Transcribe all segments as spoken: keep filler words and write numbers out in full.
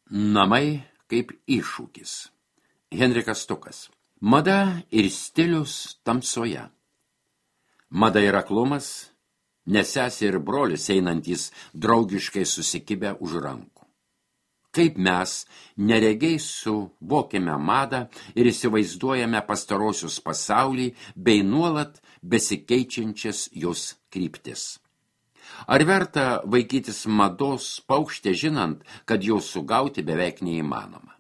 Namai kaip iššūkis. Henrikas Stukas. Mada ir stilius tamsoje. Mada ir aklumas, nes sesė ir brolis einantys draugiškai susikibę už rankų. Kaip mes neregiai suvokiame madą ir įsivaizduojame pastarosius pasaulį bei nuolat besikeičiančias jos kryptis. Ar verta vaikytis mados paukštę žinant, kad jos sugauti beveik neįmanoma?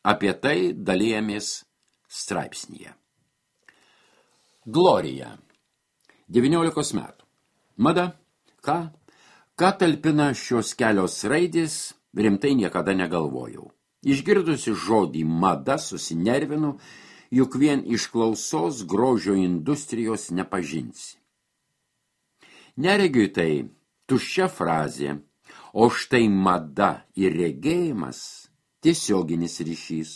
Apie tai dalijamės straipsnyje. Glorija. devyniolikos metų. Mada. Ką? Ką talpina šios kelios raidės, rimtai niekada negalvojau. Išgirdusi žodį mada susinervinu, juk vien iš klausos grožio industrijos nepažinsi. Neregiui tai tuščia frazė, o štai mada ir regėjimas tiesioginis ryšys.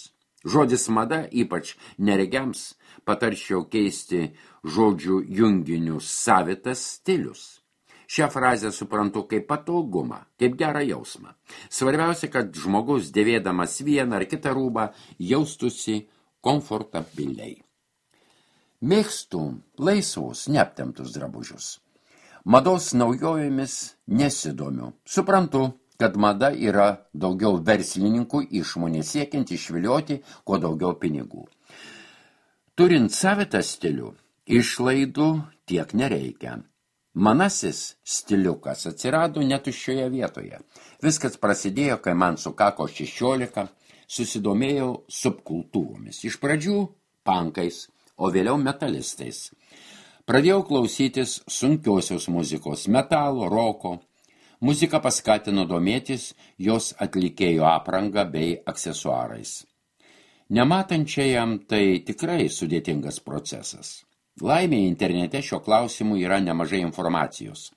Žodis mada, ypač neregiams, patarčiau keisti žodžių junginių savitas stilius. Šią frazę suprantu kaip patogumą, kaip gerą jausmą. Svarbiausia, kad žmogus dėvėdamas vieną ar kitą rūbą jaustųsi komfortabiliai. Mėgstu laisvus, neaptemptus drabužius. Mados naujojomis nesidomiu. Suprantu, kad mada yra daugiau verslininkų išmonė siekiant išvilioti kuo daugiau pinigų. Turint savitą stilių, išlaidų tiek nereikia. Manasis stiliukas atsirado netuščioje vietoje. Viskas prasidėjo, kai man sukako šešiolika, susidomėjau subkultūromis. Iš pradžių pankais, o vėliau metalistais. Pradėjau klausytis sunkiosios muzikos, metalo, roko. Muzika paskatino domėtis jos atlikėjo apranga bei aksesuarais. Nematančiajam tai tikrai sudėtingas procesas. Laimė internete šio klausimu yra nemažai informacijos.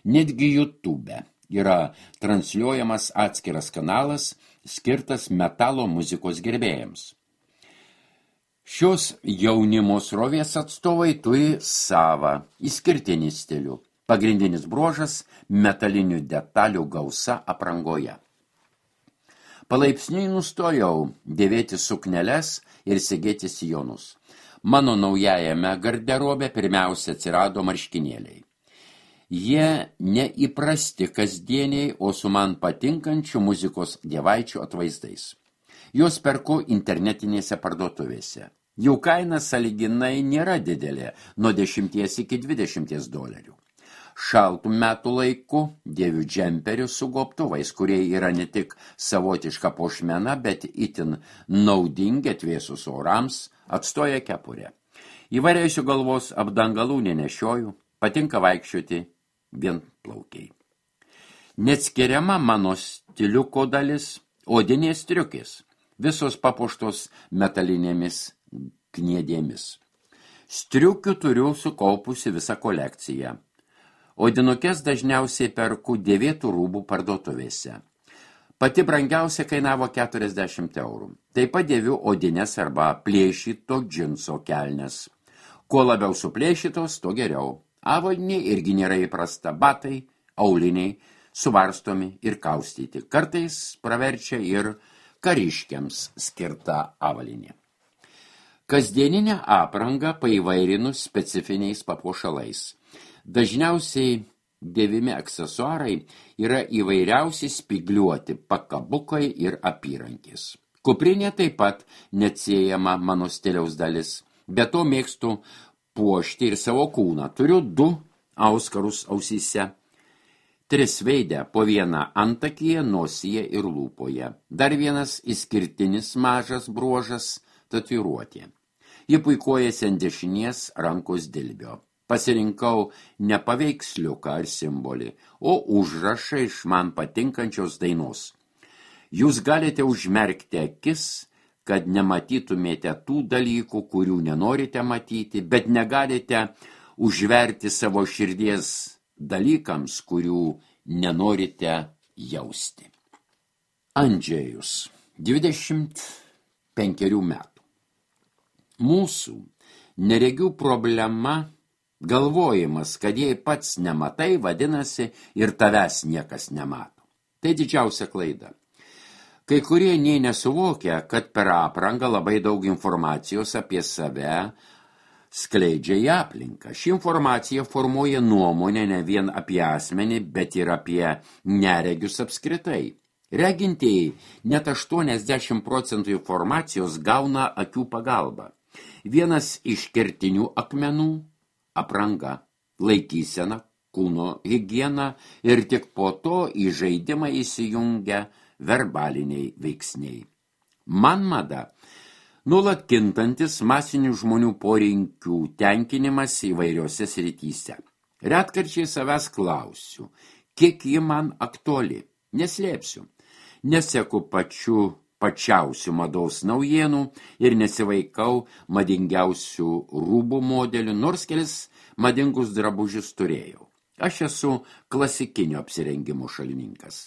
Netgi YouTube yra transliuojamas atskiras kanalas, skirtas metalo muzikos gerbėjams. Šios jaunimo srovės atstovai turi savą išskirtinį stilių. Pagrindinis bruožas – metalinių detalių gausa aprangoje. Palaipsniui nustojau dėvėti sukneles ir segėti sijonus. Mano naujajame garderobe pirmiausia atsirado marškinėliai. Jie neįprasti kasdieniai, o su man patinkančių muzikos dievaičių atvaizdais. Juos perku internetinėse parduotuvėse. Jų kaina sąlyginai nėra didelė, nuo dešimties iki dvidešimties dolerių. Šaltų metų laiku dėviu džemperius su gobtuvais, kurie yra ne tik savotiška puošmena, bet itin naudingi atvėsus orams, atstoja kepurę. Įvairiausių galvos apdangalų nenešioju, patinka vaikščioti vienplaukiai. Neatskiriama mano stiliuko dalis odinės striukės, visos papuoštos metalinėmis kniedėmis. Striukių turiu sukaupusi visą kolekciją. Odinukės dažniausiai perku dėvėtų rūbų parduotuvėse. Pati brangiausia kainavo keturiasdešimt eurų. Taip pat dėviu odinės arba plėšyto džinso kelnes. Kuo labiau suplėšytos, to geriau. Avalynė irgi nėra įprasta. Batai, auliniai, suvarstomi ir kaustyti. Kartais praverčia ir kariškiams skirta avalynė. Kasdieninę aprangą paįvairinus specifiniais papuošalais. Dažniausiai dėvimi aksesuarai yra įvairiausi spigliuoti pakabukai ir apyrankės. Kuprinė taip pat neatsiejama mano stiliaus dalis. Be to mėgstu puošti ir savo kūną. Turiu du auskarus ausyse. Tris veidę, po vieną antakyje, nosyje ir lūpoje. Dar vienas išskirtinis mažas bruožas – tatuiruotė. Ji puikuojasi ant dešinės rankos dilbio. Pasirinkau ne paveiksliuką ar simbolį, o užrašą iš man patinkančios dainos. Jūs galite užmerkti akis, kad nematytumėte tų dalykų, kurių nenorite matyti, bet negalite užverti savo širdies dalykams, kurių nenorite jausti. Andžejus, dvidešimt penkerių metų. Mūsų neregių problema galvojimas, kad jei pats nematai, vadinasi, ir tavęs niekas nemato. Tai didžiausia klaida. Kai kurie nei nesuvokia, kad per aprangą labai daug informacijos apie save skleidžia į aplinką. Ši informacija formuoja nuomonę ne vien apie asmenį, bet ir apie neregius apskritai. Regintieji net aštuoniasdešimt procentų informacijos gauna akių pagalba. Vienas iš kertinių akmenų – apranga, laikysena, kūno higiena ir tik po to į žaidimą įsijungia verbaliniai veiksniai. Man mada – nuolat kintantis masinių žmonių poreikių tenkinimas įvairiose srityse. Retkarčiai savęs klausiu, kiek ji man aktuali, neslėpsiu. Neseku pačių pačiausių mados naujienų ir nesivaikau madingiausių rūbų modelių, nors kelis madingus drabužius turėjau. Aš esu klasikinio apsirengimo šalininkas.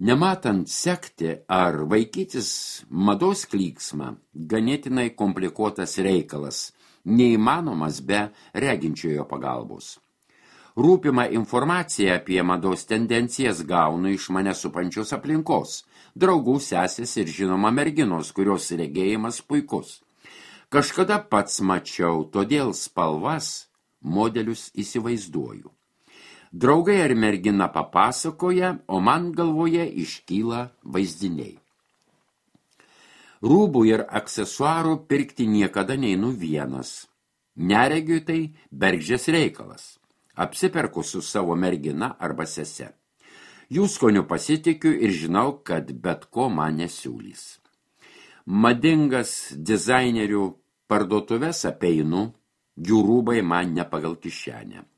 Nematant sekti ar vaikytis mados klyksmą, ganėtinai komplikuotas reikalas, neįmanomas be reginčiojo pagalbos. Rūpimą informaciją apie mados tendencijas gaunu iš mane supančios aplinkos, draugų, sesės ir žinoma merginos, kurios regėjimas puikus. Kažkada pats mačiau, todėl spalvas, modelius įsivaizduoju. Draugai ar mergina papasakoja, o man galvoje iškyla vaizdiniai. Rūbų ir aksesuarų pirkti niekada neinu vienas. Neregiui tai bergždžias reikalas. Apsiperku su savo mergina arba sese. Jų skoniu pasitikiu ir žinau, kad bet ko man nesiūlys. Madingas dizainerių parduotuves apeinu, jų rūbai man ne pagal kišenę.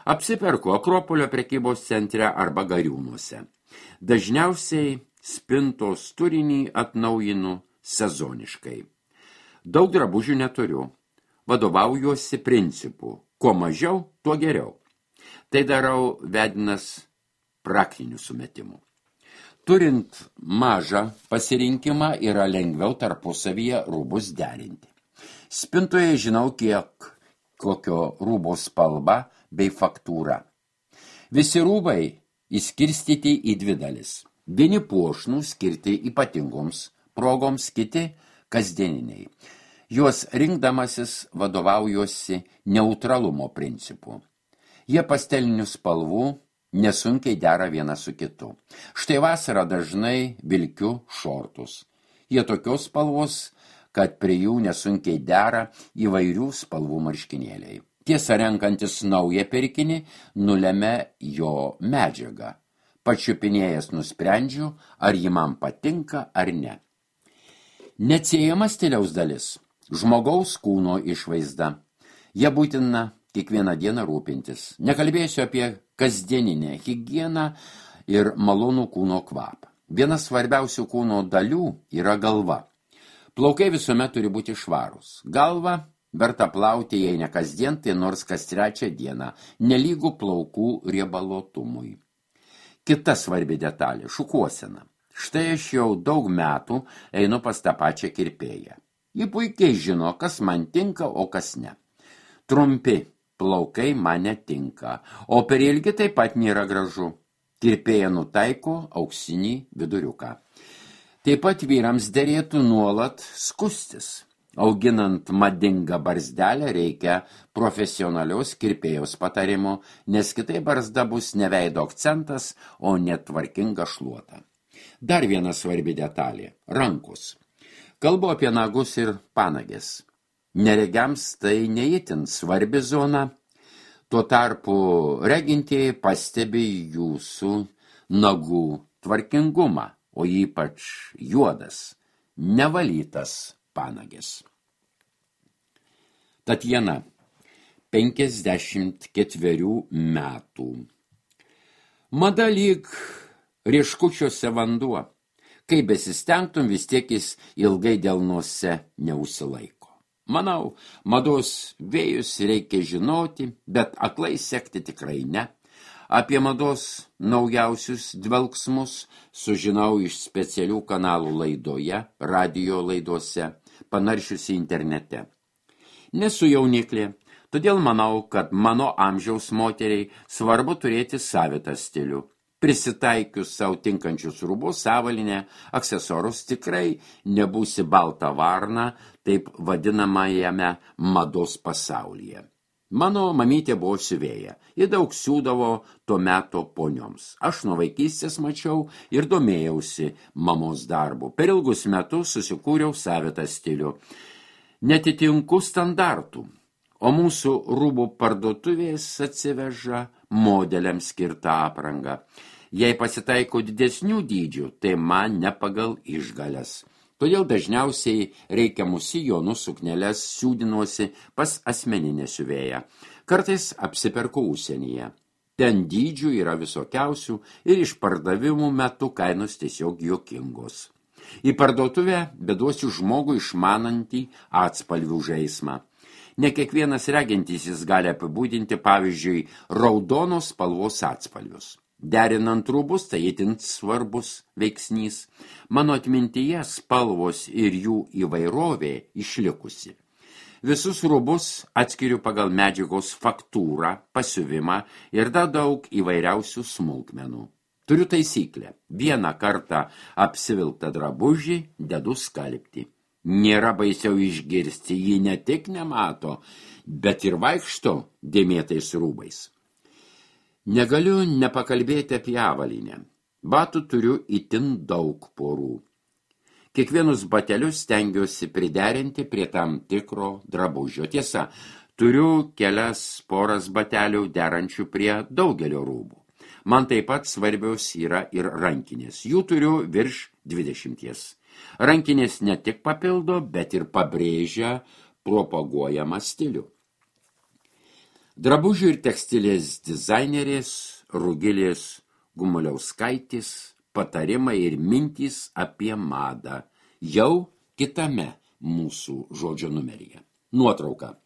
Apsiperku Akropolio prekybos centre arba Gariūnuose. Dažniausiai spintos turinį atnaujinu sezoniškai. Daug drabužių neturiu. Vadovaujuosi principu. Kuo mažiau, tuo geriau. Tai darau vedinas praktinių sumetimų. Turint mažą pasirinkimą yra lengviau tarpusavyje rūbus derinti. Spintoje žinau, kiek kokio rūbo spalva bei faktūra. Visi rūbai įskirstyti į dvi dalis. Vieni puošnų skirti ypatingoms progoms, kiti kasdieniniai. Juos rinkdamasis vadovaujuosi neutralumo principu. Jie pastelinių spalvų nesunkiai dera viena su kitu. Štai vasarą dažnai vilkiu šortus. Jie tokios spalvos, kad prie jų nesunkiai dera įvairių spalvų marškinėliai. Tiesa, renkantis naują pirkinį, nulemia jo medžiagą. Pačiupinėjęs nusprendžiu, ar ji man patinka ar ne. Neatsiejama stiliaus dalis. Žmogaus kūno išvaizda. Jie būtina kiekvieną dieną rūpintis. Nekalbėsiu apie kasdieninę higieną ir malonų kūno kvapą. Viena svarbiausių kūno dalių yra galva. Plaukai visuomet turi būti švarūs. Galva verta plauti, jei ne kasdien, tai nors kas trečią dieną, nelygų plaukų riebalotumui. Kita svarbi detalė – šukuosena. Štai aš jau daug metų einu pas tą pačią kirpėją. Ji puikiai žino, kas man tinka, o kas ne. Trumpi plaukai man netinka, o per ilgi taip pat nėra gražu. Kirpėja nutaiko auksinį viduriuką. Taip pat vyrams derėtų nuolat skustis. Auginant madingą barzdelę reikia profesionalios kirpėjos patarimo, nes kitai barzda bus ne veido akcentas, o netvarkinga šluota. Dar viena svarbi detalė – rankos. Kalbu apie nagus ir panagės. Neregiams tai neįtin svarbi zona, tuo tarpu regintieji pastebi jūsų nagų tvarkingumą, o ypač juodas, nevalytas panagės. Tatjana, penkiasdešimt ketverių metų. Mada lyg rieškučiuose vanduo. Kai besistengtum, vis tiek jis ilgai delnuose neužsilaiko. Manau, mados vėjus reikia žinoti, bet aklai sekti tikrai ne. Apie mados naujausius dvelksmus sužinau iš specialių kanalų laidoje, radijo laidose, panaršiusi internete. Nesu jauniklė, todėl manau, kad mano amžiaus moteriai svarbu turėti savitą stilių. Prisitaikius savo tinkančius rūbus, avalinę, aksesorus tikrai nebūsi balta varna, taip vadinamajame mados pasaulyje. Mano mamytė buvo siuvėja, ji daug siūdavo to meto ponioms. Aš nuo vaikystės mačiau ir domėjausi mamos darbu. Per ilgus metus susikūriau savitą stilių. Netitinku standartų, o mūsų rūbų parduotuvės atsiveža modeliams skirtą aprangą. Jei pasitaiko didesnių dydžių, tai man ne pagal išgalias. Todėl dažniausiai reikiamus sijonus sukneles siūdinuosi pas asmeninę siuvėją. Kartais apsiperku užsienyje. Ten dydžių yra visokiausių ir iš pardavimų metu kainos tiesiog juokingos. Į parduotuvę beduosiu žmogų išmanantį atspalvių žaismą. Ne kiekvienas regintysis gali apibūdinti, pavyzdžiui, raudonos spalvos atspalvius. Derinant rūbus, tai itin svarbus veiksnys. Mano atmintyje spalvos ir jų įvairovė išlikusi. Visus rūbus atskiriu pagal medžiagos faktūrą, pasiuvimą ir dar daug įvairiausių smulkmenų. Turiu taisyklę. Vieną kartą apsivilktą drabužį dedu skalbti. Nėra baisiau išgirsti, jį ne tik nemato, bet ir vaikšto dėmėtais rūbais. Negaliu nepakalbėti apie avalinę. Batų turiu itin daug porų. Kiekvienus batelius stengiuosi priderinti prie tam tikro drabužio. Tiesa, turiu kelias poras batelių derančių prie daugelio rūbų. Man taip pat svarbios yra ir rankinės. Jų turiu virš dvidešimties. Rankinės ne tik papildo, bet ir pabrėžia propaguojamą stilių. Drabužių ir tekstilės dizainerės Rugilės Gumuliauskaitės patarimai ir mintys apie madą jau kitame mūsų žodžio numeryje. Nuotrauka.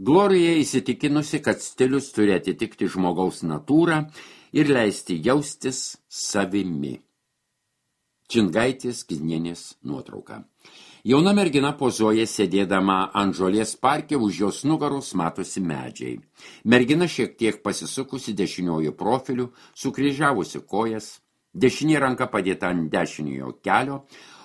Glorija įsitikinusi, kad stilius turi atitikti žmogaus natūrą ir leisti jaustis savimi. Čingaitės Kiznienės nuotrauka. Jauna mergina pozuoja sėdėdama ant žolės parke, už jos nugaros matosi medžiai. Mergina šiek tiek pasisukusi dešiniuoju profiliu, sukryžiavusi kojas, dešinė ranka padėta ant dešiniojo kelio,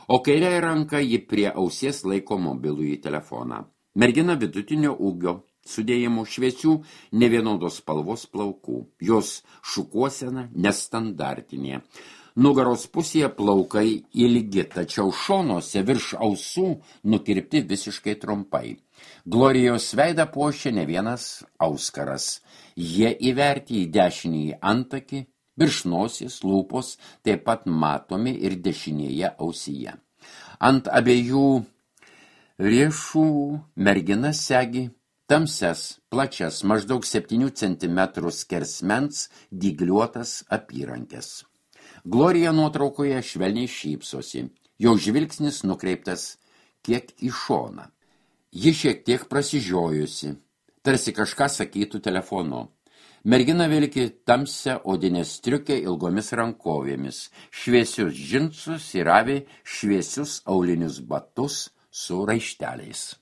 o kairiąja ranka ji prie ausies laiko mobilųjį telefoną. Mergina vidutinio ūgio, sudėjimų šviesių, nevienodos spalvos plaukų. Jos šukuosena nestandartinė. Nugaros pusėje plaukai ilgi, tačiau šonuose virš ausų nukirpti visiškai trumpai. Glorijos veidą puošia ne vienas auskaras. Jie įverti į dešinįjį antakį, virš nosies, lūpos, taip pat matomi ir dešinėje ausyje. Ant abiejų riešų mergina segi tamsias, plačias, maždaug septynių centimetrų skersmens dygliuotas apyrankes. Glorija nuotraukoje švelniai šypsosi. Jo žvilgsnis nukreiptas kiek į šoną. Ji šiek tiek prasižiojusi, tarsi kažką sakytų telefonu. Mergina vilki tamsią odinę striukę ilgomis rankovėmis, šviesius džinsus ir avi šviesius aulinius batus su raišteliais.